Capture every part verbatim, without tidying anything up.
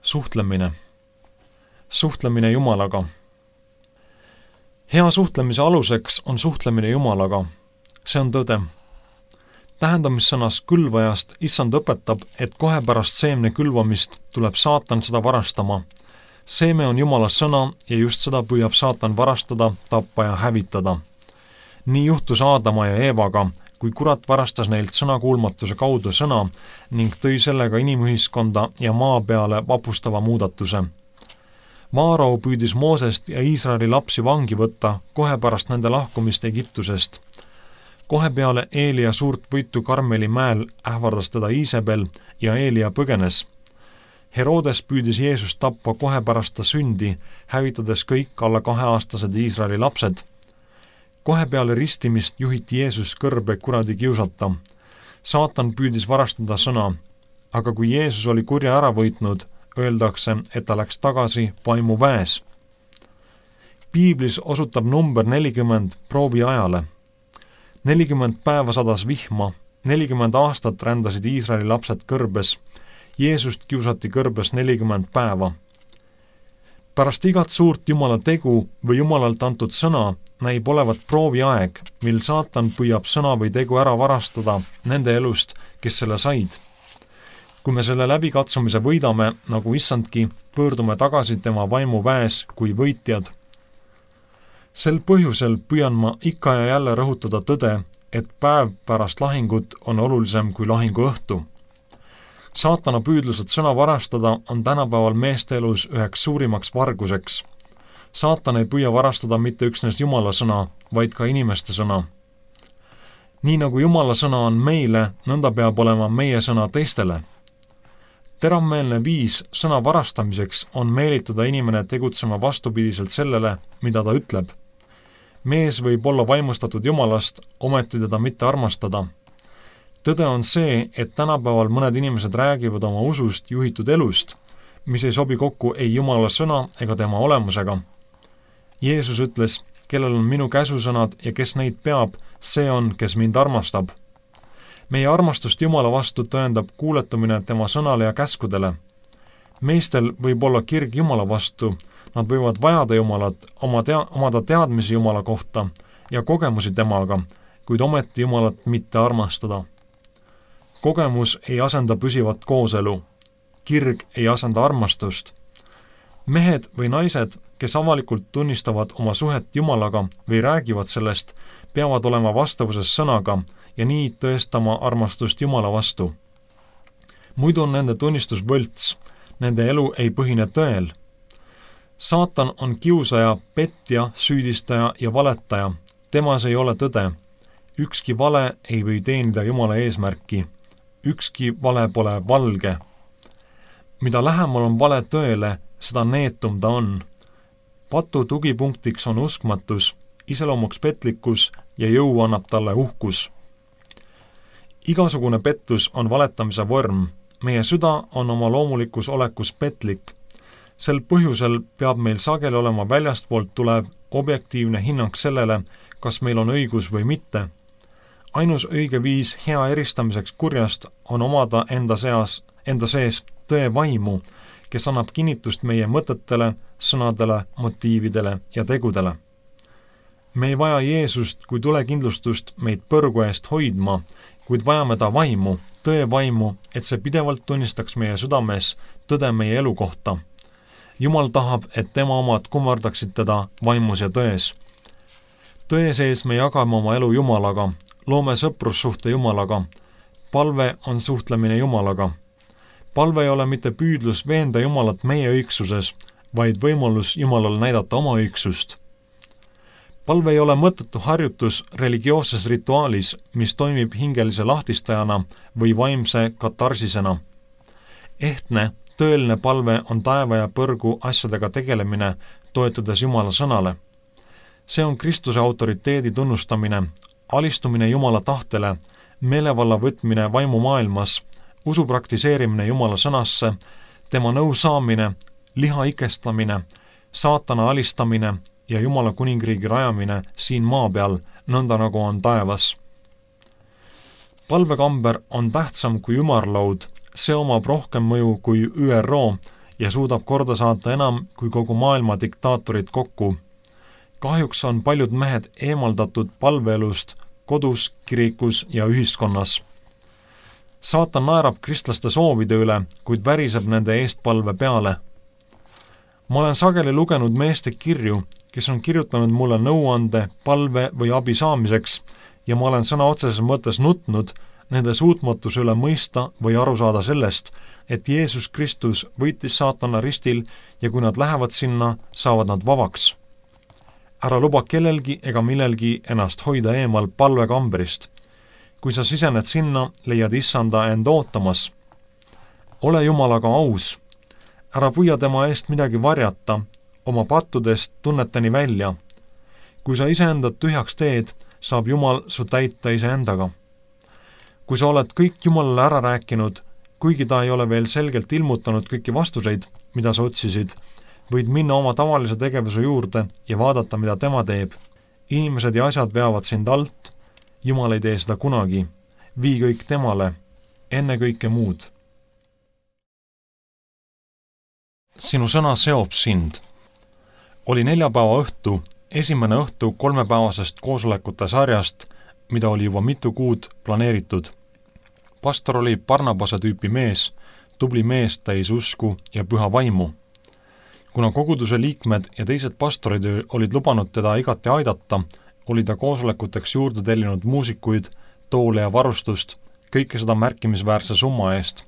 Suhtlemine. Suhtlemine Jumalaga. Hea suhtlemise aluseks on suhtlemine Jumalaga. See on tõde. Tähendamissõnas külvajast Issand õpetab, et kohe pärast seemne külvamist tuleb saatan seda varastama. Seeme on Jumala sõna ja just seda püüab saatan varastada, tappa ja hävitada. Nii juhtus Aadama ja Eevaga, kui kurat varastas neilt sõnakuulmatuse kaudu sõna ning tõi sellega inimühiskonda ja maa peale vapustava muudatuse. Maarau püüdis Moosest ja Iisraeli lapsi vangi võtta kohe pärast nende lahkumist Egiptusest. Kohe peale Eelia suurt võitu Karmeli mäel ähvardas teda Iisabel ja Eelia põgenes. Herodes püüdis Jeesust tappa kohe pärast ta sündi, hävitades kõik alla kaheaastased Iisraeli lapsed. Kohe peale ristimist juhiti Jeesus kõrbe kuradi kiusata. Saatan püüdis varastada sõna, aga kui Jeesus oli kurja ära võitnud, öeldakse, et ta läks tagasi vaimu väes. Piiblis osutab number nelikümmend proovi ajale. nelikümmend päeva sadas vihma, nelikümmend aastat rändasid Iisraeli lapsed kõrbes, Jeesust kiusati kõrbes nelikümmend päeva. Pärast igat suurt Jumala tegu või Jumalalt antud sõna näib olevat proovi aeg, mil saatan püüab sõna või tegu ära varastada nende elust, kes selle said. Kui me selle läbikatsumise võidame, nagu Issandki, pöördume tagasi tema vaimu väes kui võitjad. Sel põhjusel püüan ma ikka ja jälle rõhutada tõde, et päev pärast lahingut on olulisem kui lahingu õhtu. Saatana püüdlused sõna varastada on tänapäeval meeste elus üheks suurimaks varguseks. Saatan ei püüa varastada mitte üksnes Jumala sõna, vaid ka inimeste sõna. Nii nagu Jumala sõna on meile, nõnda peab olema meie sõna teistele. Teravmeelne viis sõna varastamiseks on meelitada inimene tegutsema vastupidiselt sellele, mida ta ütleb. Mees võib olla vaimustatud Jumalast, ometi teda mitte armastada. Tõde on see, et tänapäeval mõned inimesed räägivad oma usust juhitud elust, mis ei sobi kokku ei Jumala sõna ega tema olemusega. Jeesus ütles, kellel on minu käsusõnad ja kes neid peab, see on, kes mind armastab. Meie armastust Jumala vastu tõendab kuuletumine tema sõnale ja käskudele. Meestel võib olla kirg Jumala vastu, nad võivad vajada Jumalat, oma tea- omada teadmisi Jumala kohta ja kogemusi temaga, kuid ometi Jumalat mitte armastada. Kogemus ei asenda püsivat kooselu. Kirg ei asenda armastust. Mehed või naised, kes avalikult tunnistavad oma suhet Jumalaga või räägivad sellest, peavad olema vastavuses sõnaga ja nii tõestama armastust Jumala vastu. Muidu on nende tunnistus võlts, nende elu ei põhine tõel. Saatan on kiusaja, petja, süüdistaja ja valetaja. Temas ei ole tõde. Ükski vale ei või teenida Jumala eesmärki. Ükski vale pole valge. Mida lähemal on vale tõele, seda neetum ta on. Patu tugipunktiks on uskmatus, iseloomuks petlikkus ja jõu annab talle uhkus. Igasugune pettus on valetamise vorm. Meie süda on oma loomulikus olekus petlik. Sel põhjusel peab meil sageli olema väljastpoolt tulev objektiivne hinnang sellele, kas meil on õigus või mitte. Ainus õige viis hea eristamiseks kurjast on omada enda seas, enda sees tõe vaimu, kes annab kinnitust meie mõtetele, sõnadele, motiividele ja tegudele. Me ei vaja Jeesust kui tulekindlustust meid põrgu eest hoidma, kuid vajame ta vaimu, tõe vaimu, et see pidevalt tunnistaks meie südames tõde meie elu kohta. Jumal tahab, et tema omad kummardaksid teda vaimus ja tões. Tõe sees me jagame oma elu Jumalaga, loome sõprussuhte Jumalaga. Palve on suhtlemine Jumalaga. Palve ei ole mitte püüdlus veenda Jumalat meie õigsuses, vaid võimalus Jumalal näidata oma õigsust. Palve ei ole mõttetu harjutus religioosses rituaalis, mis toimib hingelise lahtistajana või vaimse katarsisena. Ehtne, tõeline palve on taeva ja põrgu asjadega tegelemine, toetudes Jumala sõnale. See on Kristuse autoriteedi tunnustamine, alistumine Jumala tahtele, meelevalla võtmine vaimu maailmas, usu praktiseerimine Jumala sõnasse, tema nõu saamine, liha ikestamine, saatana alistamine ja Jumala kuningriigi rajamine siin maa peal, nõnda nagu on taevas. Palvekamber on tähtsam kui ümarlaud, see omab rohkem mõju kui Ü R O ja suudab korda saata enam kui kogu maailma diktaatorid kokku. Kahjuks on paljud mehed eemaldatud palveelust kodus, kirikus ja ühiskonnas. Saatan naerab kristlaste soovide üle, kuid väriseb nende eestpalve peale. Ma olen sageli lugenud meeste kirju, kes on kirjutanud mulle nõuande, palve või abi saamiseks ja ma olen sõna otseses mõttes nutnud nende suutmatuse üle mõista või aru saada sellest, et Jeesus Kristus võitis saatana ristil ja kui nad lähevad sinna, saavad nad vabaks. Ära luba kellelgi ega millelgi ennast hoida eemal palvekambrist. Kui sa sisened sinna, leiad issanda end ootamas. Ole Jumalaga aus. Ära püüa tema eest midagi varjata, oma pattudest tunneteni välja. Kui sa iseendad tühjaks teed, saab Jumal su täita iseendaga. Kui sa oled kõik Jumalale ära rääkinud, kuigi ta ei ole veel selgelt ilmutanud kõiki vastuseid, mida sa otsisid, võid minna oma tavalise tegevuse juurde ja vaadata, mida tema teeb. Inimesed ja asjad veavad sind alt, Jumal ei tee seda kunagi. Vii kõik temale, enne kõike muud. Sinu sõna seob sind. Oli neljapäeva õhtu, esimene õhtu kolmepäevasest koosolekute sarjast, mida oli juba mitu kuud planeeritud. Pastor oli Barnabase tüüpi mees, tubli mees täis usku ja püha vaimu. Kuna koguduse liikmed ja teised pastorid olid lubanud teda igati aidata, oli ta koosolekuteks juurde tellinud muusikuid, toole ja varustust, kõike seda märkimisväärse summa eest.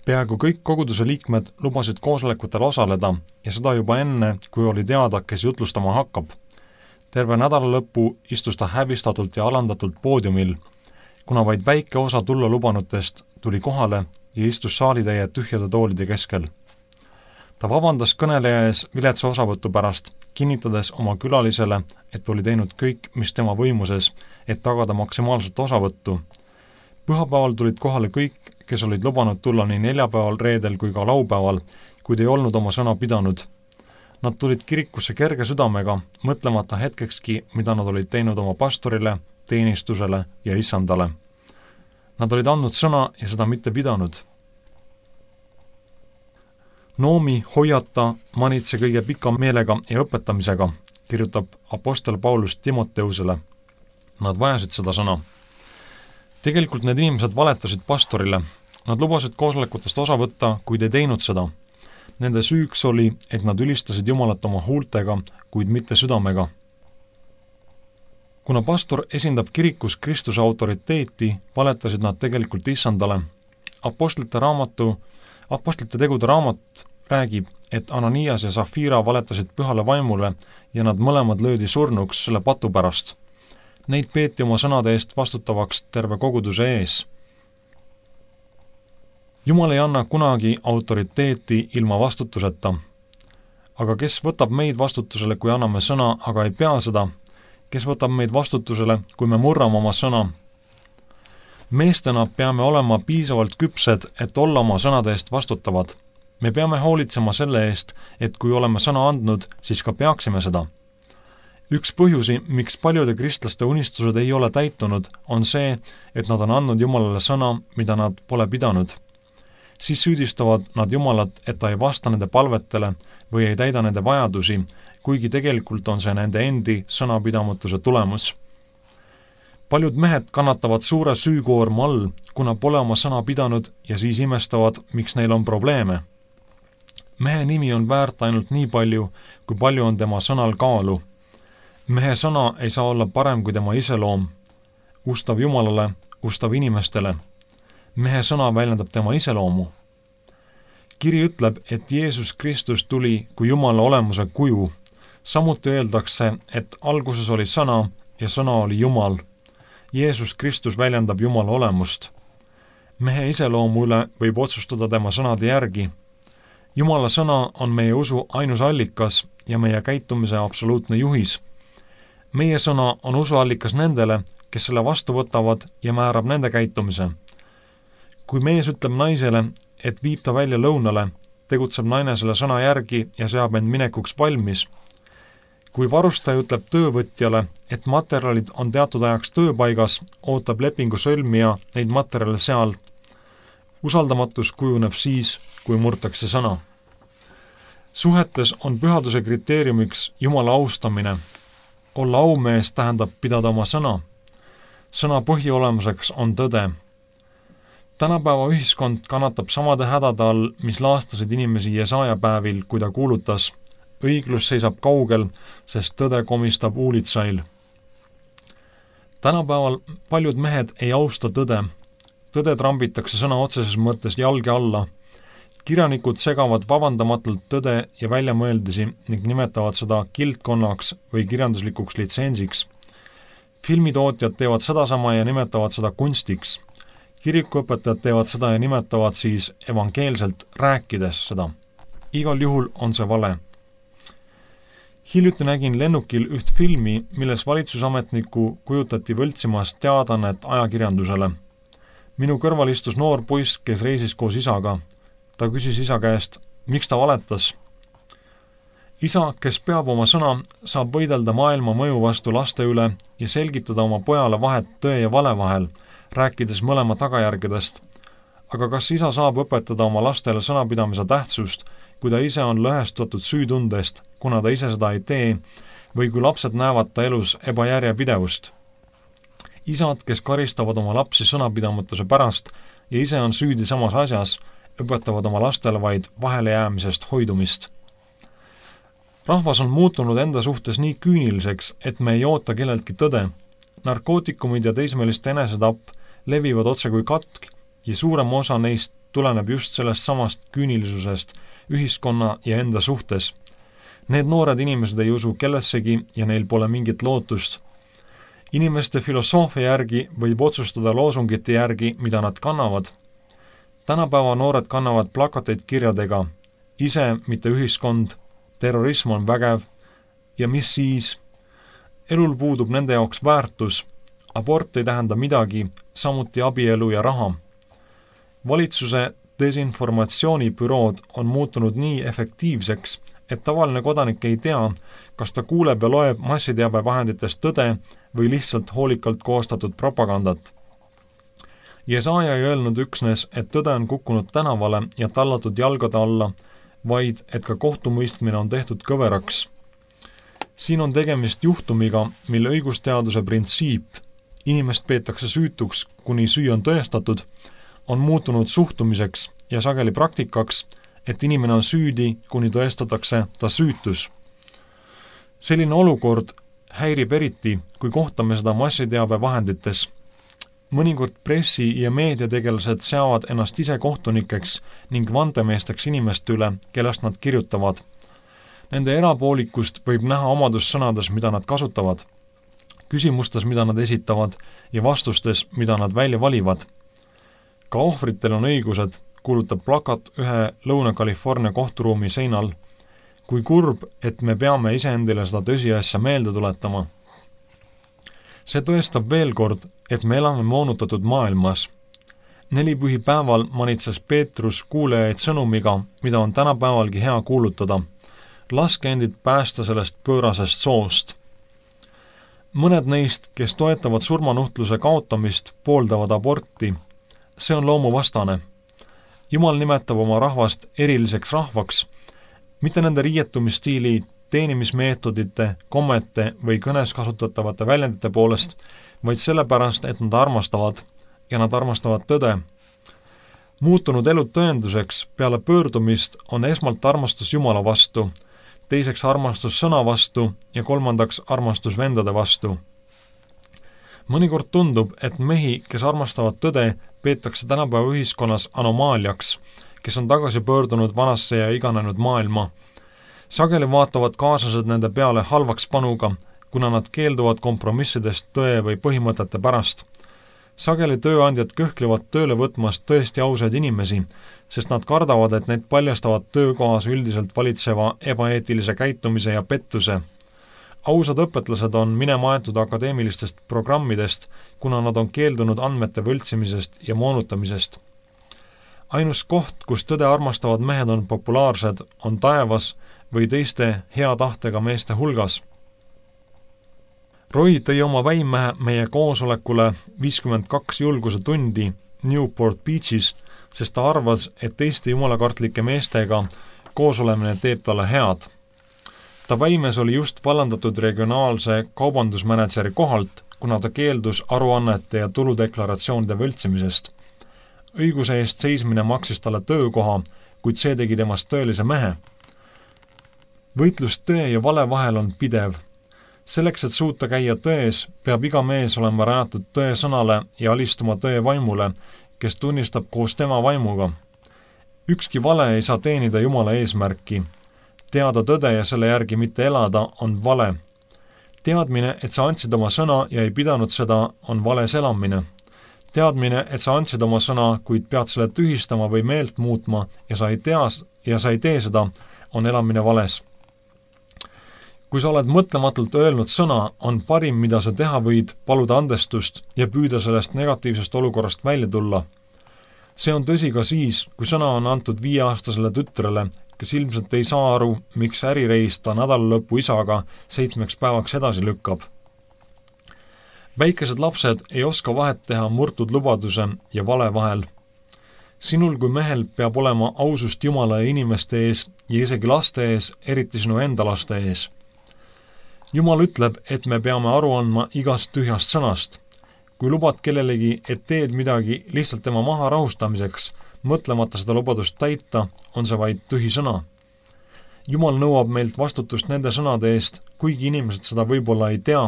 Peaaegu kõik koguduse liikmed lubasid koosolekutel osaleda ja seda juba enne, kui oli teada, kes jutlustama hakkab. Terve nädala lõppu istus ta häbistatult ja alandatult poodiumil, kuna vaid väike osa tulla lubanutest tuli kohale ja istus saalitäie tühjade toolide keskel. Ta vabandas kõneleja ees viletsa osavõtu pärast, kinnitades oma külalisele, et oli teinud kõik, mis tema võimuses, et tagada maksimaalset osavõttu. Pühapäeval tulid kohale kõik, kes olid lubanud tulla nii neljapäeval, reedel kui ka laupäeval, kuid ei olnud oma sõna pidanud. Nad tulid kirikusse kerge südamega, mõtlemata hetkekski, mida nad olid teinud oma pastorile, teenistusele ja issandale. Nad olid andnud sõna ja seda mitte pidanud. Noomi, hoiata, manitse kõige pika meelega ja õpetamisega, kirjutab apostel Paulus Timoteusele. Nad vajasid seda sõna. Tegelikult need inimesed valetasid pastorile. Nad lubasid koosolekutest osa võtta, kuid ei teinud seda. Nende süüks oli, et nad ülistasid Jumalat oma huultega, kuid mitte südamega. Kuna pastor esindab kirikus Kristuse autoriteeti, valetasid nad tegelikult issandale. Apostlite raamatu, apostlite tegude raamat räägib, et Ananias ja Safira valetasid pühale vaimule ja nad mõlemad löödi surnuks selle patu pärast. Neid peeti oma sõnade eest vastutavaks terve koguduse ees. Jumal ei anna kunagi autoriteeti ilma vastutuseta. Aga kes võtab meid vastutusele, kui anname sõna, aga ei pea seda? Kes võtab meid vastutusele, kui me murrame oma sõna? Meestena peame olema piisavalt küpsed, et olla oma sõnade eest vastutavad. Me peame hoolitsema selle eest, et kui oleme sõna andnud, siis ka peaksime seda. Üks põhjusi, miks paljude kristlaste unistused ei ole täitunud, on see, et nad on andnud Jumalale sõna, mida nad pole pidanud. Siis süüdistavad nad Jumalat, et ta ei vasta nende palvetele või ei täida nende vajadusi, kuigi tegelikult on see nende endi sõnapidamatuse tulemus. Paljud mehed kannatavad suure süükoorma all, kuna pole oma sõna pidanud ja siis imestavad, miks neil on probleeme. Mehe nimi on väärt ainult nii palju, kui palju on tema sõnal kaalu. Mehe sõna ei saa olla parem kui tema iseloom. Ustav Jumalale, ustav inimestele. Mehe sõna väljendab tema iseloomu. Kiri ütleb, et Jeesus Kristus tuli kui Jumala olemuse kuju. Samuti öeldakse, et alguses oli sõna ja sõna oli Jumal. Jeesus Kristus väljendab Jumala olemust. Mehe iseloomu üle võib otsustada tema sõnade järgi. Jumala sõna on meie usu ainus allikas ja meie käitumise absoluutne juhis. Meie sõna on usuallikas nendele, kes selle vastu võtavad ja määrab nende käitumise. Kui mees ütleb naisele, et viib ta välja lõunale, tegutseb naine selle sõna järgi ja seab end minekuks valmis. Kui varustaja ütleb töövõtjale, et materjalid on teatud ajaks tööpaigas, ootab lepingu sõlmija neid materjale seal. Usaldamatus kujuneb siis, kui murtakse sõna. Suhetes on pühaduse kriteeriumiks Jumala austamine. Olla aumees tähendab pidada oma sõna. Sõna põhiolemuseks on tõde. Tänapäeva ühiskond kannatab samade hädade all, mis laastasid inimesi Jesaja päevil, kui ta kuulutas: õiglus seisab kaugel, sest tõde komistab uulitsail. Tänapäeval paljud mehed ei austa tõde. Tõde trambitakse sõna otseses mõttes jalge alla. Kirjanikud segavad vabandamatult tõde ja väljamõeldisi ning nimetavad seda kildkonnaks või kirjanduslikuks litsensiks. Filmitootjad teevad sedasama ja nimetavad seda kunstiks. Kirikuõpetajad teevad seda ja nimetavad siis evangeelselt rääkides seda. Igal juhul on see vale. Hiljuti nägin lennukil üht filmi, milles valitsusametniku kujutati võltsimas teadannet ajakirjandusele. Minu kõrval istus noor poiss, kes reisis koos isaga. Ta küsis isa käest, miks ta valetas. Isa, kes peab oma sõna, saab võidelda maailma mõju vastu laste üle ja selgitada oma pojale vahet tõe ja vale vahel, rääkides mõlema tagajärgedest. Aga kas isa saab õpetada oma lastele sõnapidamise tähtsust, kui ta ise on lõhestatud süütundest, kuna ta ise seda ei tee, või kui lapsed näevad ta elus ebajärjepidevust? Isad, kes karistavad oma lapsi sõnapidamatuse pärast ja ise on süüdi samas asjas, õpetavad oma lastele vaid vahelejäämisest hoidumist. Rahvas on muutunud enda suhtes nii küüniliseks, et me ei oota kelleltki tõde. Narkootikumid ja teismeliste enesetapp levivad otse kui katk ja suurem osa neist tuleneb just sellest samast küünilisusest ühiskonna ja enda suhtes. Need noored inimesed ei usu kellessegi ja neil pole mingit lootust. Inimeste filosoofia järgi võib otsustada loosungite järgi, mida nad kannavad. Tänapäeva noored kannavad plakateid kirjadega: ise, mitte ühiskond, terrorism on vägev ja mis siis? Elul puudub nende jaoks väärtus, abort ei tähenda midagi, samuti abielu ja raha. Valitsuse desinformatsioonibürood on muutunud nii efektiivseks, et tavaline kodanik ei tea, kas ta kuuleb ja loeb massiteabevahenditest tõde või lihtsalt hoolikalt koostatud propagandat. Jesaja ei öelnud üksnes, et tõde on kukkunud tänavale ja tallatud jalgade alla, vaid et ka kohtumõistmine on tehtud kõveraks. Siin on tegemist juhtumiga, mille õigusteaduse printsiip, inimest peetakse süütuks, kuni süü on tõestatud, on muutunud suhtumiseks ja sageli praktikaks, et inimene on süüdi, kuni tõestatakse ta süütus. Selline olukord häirib eriti, kui kohtame seda massiteabevahendites. Mõnikord pressi- ja meediategelased seavad ennast ise kohtunikeks ning vandemeesteks inimeste üle, kellest nad kirjutavad. Nende erapoolikust võib näha omadussõnades, mida nad kasutavad, küsimustes, mida nad esitavad ja vastustes, mida nad välja valivad. Ka ohvritel on õigused, kuulutab plakat ühe Lõuna-California kohturuumi seinal. Kui kurb, et me peame iseendile seda tõsiasja meelde tuletama. See tõestab veel kord, et me elame moonutatud maailmas. Nelipühi päeval manitses Peetrus kuulajaid sõnumiga, mida on tänapäevalgi hea kuulutada. Laske endid päästa sellest pöörasest soost. Mõned neist, kes toetavad surmanuhtluse kaotamist, pooldavad aborti. See on loomuvastane. Jumal nimetab oma rahvast eriliseks rahvaks, mitte nende riietumisstiili, teenimismeetodite, kommete või kõnes kasutatavate väljendite poolest, vaid sellepärast, et nad armastavad ja nad armastavad tõde. Muutunud elu tõenduseks peale pöördumist on esmalt armastus Jumala vastu, teiseks armastus sõna vastu ja kolmandaks armastus vendade vastu. Mõnikord tundub, et mehi, kes armastavad tõde, peetakse tänapäeva ühiskonnas anomaaliaks, kes on tagasi pöördunud vanasse ja iganenud maailma. Sageli vaatavad kaaslased nende peale halvaks panuga, kuna nad keelduvad kompromissidest tõe või põhimõtete pärast. Sageli tööandjad kõhklevad tööle võtmast tõesti ausaid inimesi, sest nad kardavad, et need paljastavad töökohas üldiselt valitseva ebaeetilise käitumise ja pettuse. Ausad õpetlased on minema aetud akadeemilistest programmidest, kuna nad on keeldunud andmete võltsimisest ja moonutamisest. Ainus koht, kus tõde armastavad mehed on populaarsed, on taevas või teiste hea tahtega meeste hulgas. Roy tõi oma väimehe meie koosolekule viiskümmend kaks julguse tundi Newport Beachis, sest ta arvas, et teiste jumalakartlike meestega koosolemine teeb talle head. Ta väimes oli just vallandatud regionaalse kaubandusmänedžeri kohalt, kuna ta keeldus aruannete ja tuludeklaratsioonide võltsimisest. Õiguse eest seismine maksis talle töökoha, kuid see tegi temast tõelise mehe. Võitlus tõe ja vale vahel on pidev. Selleks, et suuta käia tões, peab iga mees olema rajatud tõe sõnale ja alistuma tõe vaimule, kes tunnistab koos tema vaimuga. Ükski vale ei saa teenida Jumala eesmärki. Teada tõde ja selle järgi mitte elada on vale. Teadmine, et sa andsid oma sõna ja ei pidanud seda, on vales elamine. Teadmine, et sa andsid oma sõna, kuid pead selle tühistama või meelt muutma ja sa ei tea ja sa ei tee seda, on elamine vales. Kui sa oled mõtlematult öelnud sõna, on parim, mida sa teha võid, paluda andestust ja püüda sellest negatiivsest olukorrast välja tulla. See on tõsi ka siis, kui sõna on antud viieaastasele tütrele, kes ilmselt ei saa aru, miks ärireis ta nädalalõpu isaga seitsmeks päevaks edasi lükkab. Väikesed lapsed ei oska vahet teha murtud lubaduse ja vale vahel. Sinul kui mehel peab olema ausust Jumala ja inimeste ees ja isegi laste ees, eriti sinu enda laste ees. Jumal ütleb, et me peame aru andma igast tühjast sõnast. Kui lubad kellelegi, et teed midagi lihtsalt tema maha rahustamiseks, mõtlemata seda lubadust täita, on see vaid tühi sõna. Jumal nõuab meilt vastutust nende sõnade eest, kuigi inimesed seda võib-olla ei tea.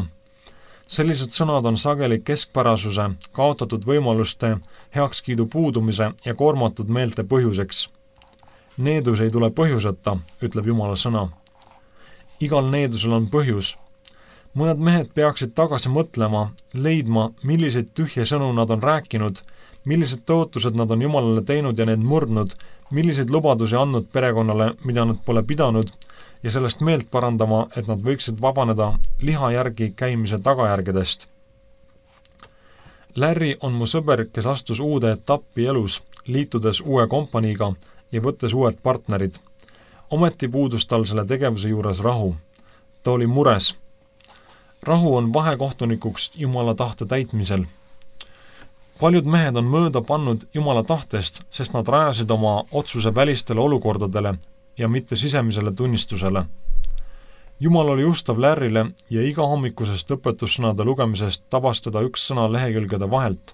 Sellised sõnad on sageli keskpärasuse, kaotatud võimaluste, heakskiidu puudumise ja koormatud meelte põhjuseks. Needus ei tule põhjuseta, ütleb Jumala sõna. Igal needusel on põhjus. Mõned mehed peaksid tagasi mõtlema, leidma, milliseid tühje sõnu nad on rääkinud, millised tõotused nad on Jumalale teinud ja need murdnud, milliseid lubadusi andnud perekonnale, mida nad pole pidanud, ja sellest meelt parandama, et nad võiksid vabaneda liha järgi käimise tagajärgedest. Larry on mu sõber, kes astus uude etappi elus, liitudes uue kompaniiga ja võttes uued partnerid. Ometi puudus tal selle tegevuse juures rahu. Ta oli mures. Rahu on vahekohtunikuks Jumala tahte täitmisel. Paljud mehed on mööda pannud Jumala tahtest, sest nad rajasid oma otsuse välistele olukordadele ja mitte sisemisele tunnistusele. Jumal oli ustav Larryle ja iga hommikusest õpetussõnade lugemisest tabas teda üks sõna lehekülgede vahelt.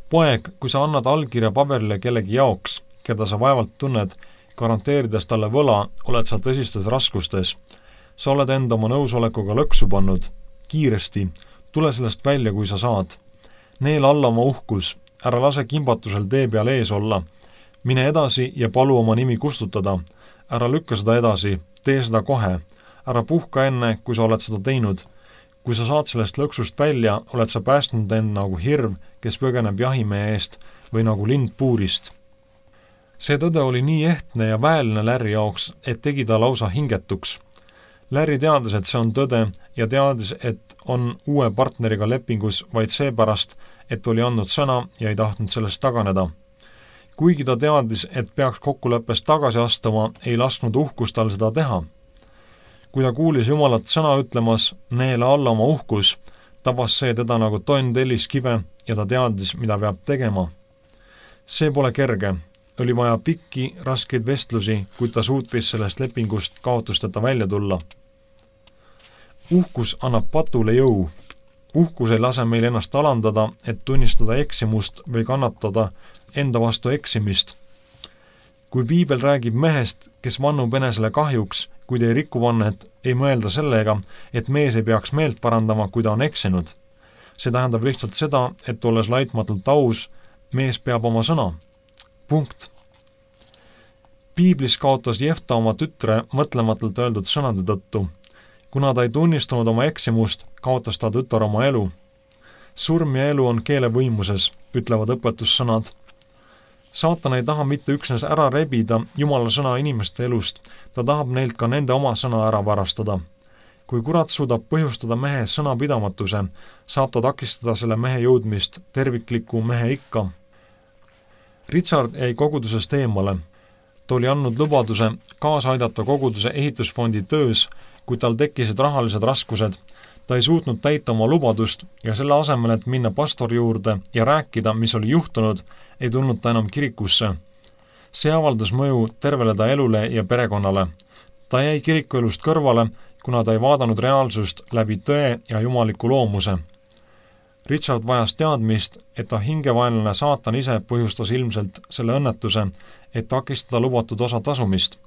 Poeg, kui sa annad allkirja paberile kellegi jaoks, keda sa vaevalt tunned, garanteerides talle võla, oled sa tõsistes raskustes. Sa oled enda oma nõusolekuga lõksu pannud. Kiiresti, tule sellest välja, kui sa saad. Neel alla oma uhkus, ära lase kimbatusel tee peal ees olla. Mine edasi ja palu oma nimi kustutada. Ära lükka seda edasi, tee seda kohe. Ära puhka enne, kui sa oled seda teinud. Kui sa saad sellest lõksust välja, oled sa päästnud end nagu hirv, kes põgeneb jahimehe eest või nagu lind puurist. See tõde oli nii ehtne ja väeline Larry jaoks, et tegi ta lausa hingetuks. Larry teadis, et see on tõde ja teadis, et on uue partneriga lepingus vaid seepärast, et oli andnud sõna ja ei tahtnud sellest taganeda. Kuigi ta teadis, et peaks kokkuleppest tagasi astuma, ei lasknud uhkus tal seda teha. Kui ta kuulis Jumalat sõna ütlemas, neele alla oma uhkus, tabas see teda nagu tonn telliskive ja ta teadis, mida peab tegema. See pole kerge. Oli vaja pikki, raskeid vestlusi, kuid ta suutis sellest lepingust kaotusteta välja tulla. Uhkus annab patule jõu. Uhkus ei lase meil ennast alandada, et tunnistada eksimust või kannatada enda vastu eksimist. Kui piibel räägib mehest, kes vannub enesele kahjuks, kuid ei riku vannet, ei mõelda sellega, et mees ei peaks meelt parandama, kui ta on eksinud. See tähendab lihtsalt seda, et olles laitmatult aus, mees peab oma sõna. Punkt. Piiblis kaotas Jefta oma tütre mõtlematult öeldud sõnade tõttu. Kuna ta ei tunnistunud oma eksimust, kaotas ta tütar oma elu. Surm ja elu on keele võimuses, ütlevad õpetussõnad. Saatan ei taha mitte üksnes ära rebida Jumala sõna inimeste elust, ta tahab neilt ka nende oma sõna ära varastada. Kui kurat suudab põhjustada mehe sõnapidamatuse, saab ta takistada selle mehe jõudmist tervikliku mehe ikka. Richard jäi kogudusest eemale. Ta oli andnud lubaduse kaasa aidata koguduse ehitusfondi töös, kui tal tekkisid rahalised raskused. Ta ei suutnud täita oma lubadust ja selle asemel, et minna pastori juurde ja rääkida, mis oli juhtunud, ei tulnud ta enam kirikusse. See avaldas mõju tervele ta elule ja perekonnale. Ta jäi kirikuelust kõrvale, kuna ta ei vaadanud reaalsust läbi tõe ja jumaliku loomuse. Richard vajas teadmist, et ta hingevaenlane saatan ise põhjustas ilmselt selle õnnetuse, et takistada lubatud osa tasumist.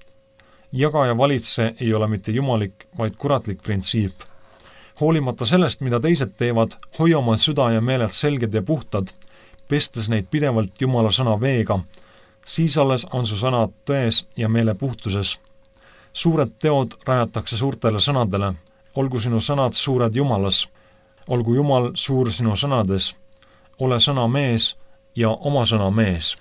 Jaga ja valitse ei ole mitte jumalik, vaid kuratlik printsiip. Hoolimata sellest, mida teised teevad, hoia oma süda ja meeled selged ja puhtad, pestes neid pidevalt Jumala sõna veega, siis alles on su sõnad tões ja meele puhtuses. Suured teod rajatakse suurtele sõnadele, olgu sinu sõnad suured Jumalas, olgu Jumal suur sinu sõnades, ole sõna mees ja oma sõna mees.